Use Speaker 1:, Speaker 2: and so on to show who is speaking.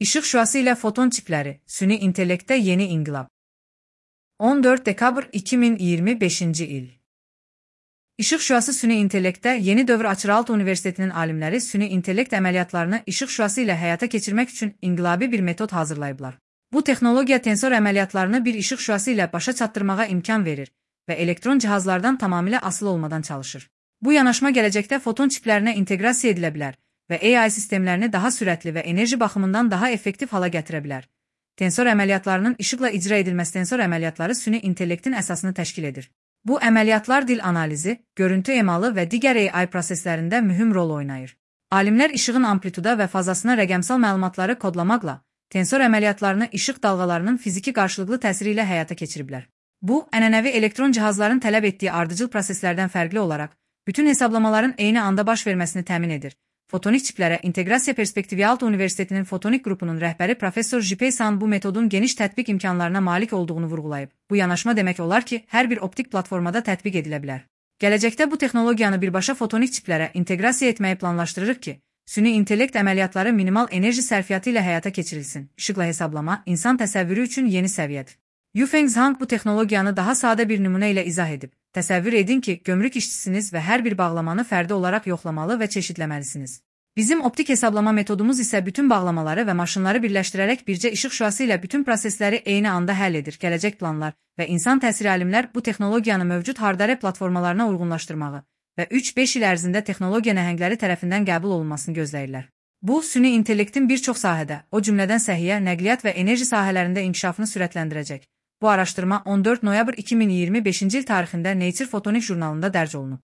Speaker 1: Işıq şüası ilə foton çipləri, süni intellektdə yeni inqilab. 14 dekabr 2025-ci il. İşıq şüası süni intellektdə yeni dövr açır. Aalto Universitetinin alimləri süni intellekt əməliyyatlarını işıq şüası ilə həyata keçirmək üçün inqilabi bir metod hazırlayıblar. Bu texnologiya tensor əməliyyatlarını bir işıq şüası ilə başa çatdırmağa imkan verir və elektron cihazlardan tamamilə asılı olmadan çalışır. Bu yanaşma gələcəkdə foton çiplərinə inteqrasiya edilə bilər və AI sistemlərini daha sürətli və enerji baxımından daha effektiv hala gətirə bilər. Tensor əməliyyatlarının işıqla icra edilməsi tensor əməliyyatları süni intellektin əsasını təşkil edir. Bu əməliyyatlar dil analizi, görüntü emalı və digər AI proseslərində mühüm rol oynayır. Alimlər işığın amplituda və fazasına rəqəmsal məlumatları kodlamaqla tensor əməliyyatlarını işıq dalğalarının fiziki qarşılıqlı təsiri ilə həyata keçiriblər. Bu, ənənəvi elektron cihazların tələb etdiyi ardıcıl proseslərdən fərqli olaraq, bütün hesablamaların eyni anda baş verməsini təmin edir. Fotonik çiplərə inteqrasiya perspektivi Aalto Universitetinin fotonik qrupunun rəhbəri Professor Jipei San bu metodun geniş tətbiq imkanlarına malik olduğunu vurğulayıb. Bu yanaşma demək olar ki, hər bir optik platformada tətbiq edilə bilər. Gələcəkdə bu texnologiyanı birbaşa fotonik çiplərə inteqrasiya etməyi planlaşdırırıq ki, süni intellekt əməliyyatları minimal enerji sərfiyyatı ilə həyata keçirilsin. İşıqla hesablama insan təsəvvürü üçün yeni səviyyədir. Yufeng Zhang bu texnologiyanı daha sadə bir nümunə ilə izah edib. Təsəvvür edin ki, gömrük işçisiniz və hər bir bağlamanı fərdi olaraq yoxlamalı və çeşidləməlisiniz. Bizim optik hesablama metodumuz isə bütün bağlamaları və maşınları birləşdirərək bircə işıq şüası ilə bütün prosesləri eyni anda həll edir. Gələcək planlar və insan təsiri alimlər bu texnologiyanı mövcud hardware platformalarına uyğunlaşdırmağı və 3-5 il ərzində texnologiya nəhəngləri tərəfindən qəbul olunmasını gözləyirlər. Bu, süni intellektin bir çox sahədə, o cümlədən səhiyyə, nəqliyyat və enerji sahələrində inkişafını sürətləndirəcək. Bu araşdırma 14 noyabr 2025-ci il tarixində Nature Photonics jurnalında dərc olunub.